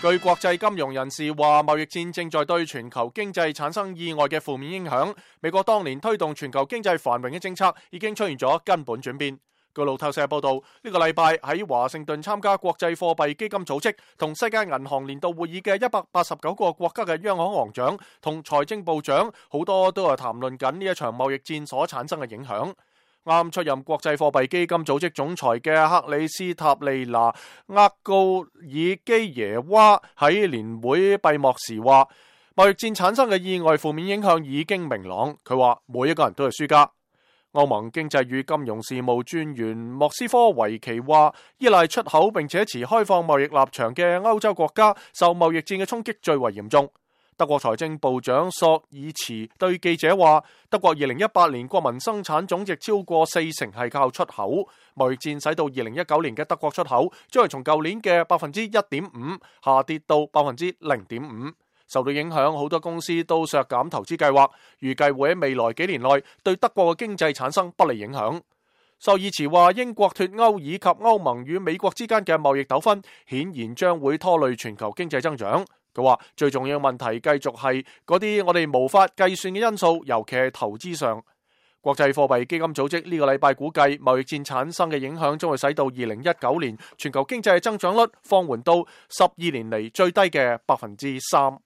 據國際金融人士話，貿易戰正在對全球經濟產生意外嘅負面影響。美國當年推動全球經濟繁榮嘅政策已經出現咗根本轉變。據路透社報道，呢個禮拜喺華盛頓參加國際貨幣基金組織同世界銀行年度會議嘅189個國家嘅央行行長同財政部長，好多都係談論緊呢一場貿易戰所產生嘅影響。啱出任國際貨幣基金組織總裁嘅克里斯塔利娜厄高爾基耶娃喺年會閉幕時話，貿易戰產生嘅意外負面影響已經明朗。佢話每一個人都係輸家。歐盟經濟與金融事務專員莫斯科維奇話，依賴出口並且持開放貿易立場嘅歐洲國家受貿易戰嘅衝擊最為嚴重。德國財政部長索爾茨對記者話，德國2018年國民生產總值超過40%係靠出口，貿易戰使到2019年嘅德國出口將係從舊年嘅1.5%下跌到0.5%。受到影響，好多公司都削減投資計劃，預計會喺未來幾年內對德國嘅經濟產生不利影響。索爾茨話，英國脫歐以及歐盟與美國之間嘅貿易糾紛顯然將會拖累全球經濟增長。佢話最重要嘅問題繼續係嗰啲我哋無法計算嘅因素，尤其係投資上。國際貨幣基金組織呢個禮拜估計，貿易戰產生嘅影響將會使到2019年全球經濟增長率放緩到12年嚟最低嘅3%。